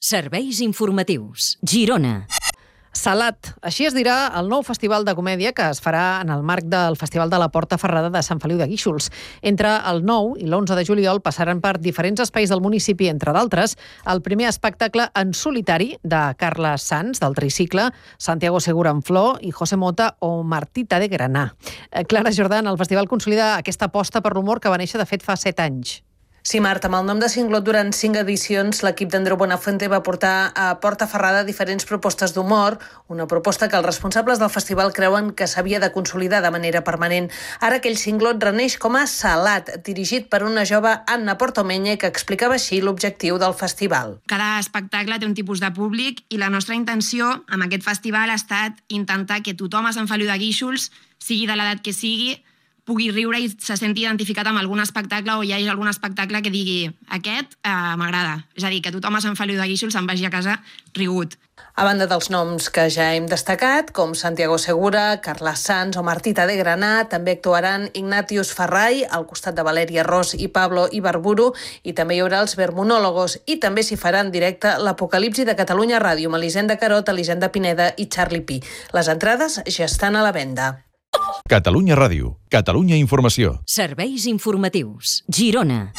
Serveis informatius. Girona. Salat, així es dirà el nou festival de comèdia que es farà en el marc del Festival de la Porta Ferrada de Sant Feliu de Guíxols. Entre el 9 i l'11 de juliol passaran per diferents espais del municipi, entre d'altres, el primer espectacle en solitari de Carles Sans, del Tricicle, Santiago Segura en Flor i José Mota o Martita de Granà. Clara Jordan, el festival consolida aquesta aposta per l'humor que va néixer, de fet, fa 7 anys. Sí, Marta, amb el nom de Singlot durant 5 edicions, l'equip d'Andreu Buenafuente va portar a Porta Ferrada diferents propostes d'humor, una proposta que els responsables del festival creuen que s'havia de consolidar de manera permanent. Ara aquell Singlot reneix com a Salat, dirigit per una jove Anna Portomenya, que explicava així l'objectiu del festival. Cada espectacle té un tipus de públic i la nostra intenció amb aquest festival ha estat intentar que tothom a Sant Feliu de Guíxols, sigui de l'edat que sigui, pugui riure i se senti identificat amb algun espectacle o hi hagi algun espectacle que digui aquest m'agrada. És a dir, que tothom a Sant Feliu de Guíxols se'n vagi a casa rigut. A banda dels noms que ja hem destacat, com Santiago Segura, Carles Sans o Martita de Granà, també actuaran Ignatius Ferrai, al costat de Valèria Ros i Pablo Ibarburu, i també hi haurà els Vermonòlogos, i també s'hi farà en directe l'Apocalipsi de Catalunya Ràdio, amb Elisenda Carot, Elisenda Pineda i Charlie Pi. Les entrades ja estan a la venda. Catalunya Ràdio, Catalunya Informació. Serveis informatius. Girona.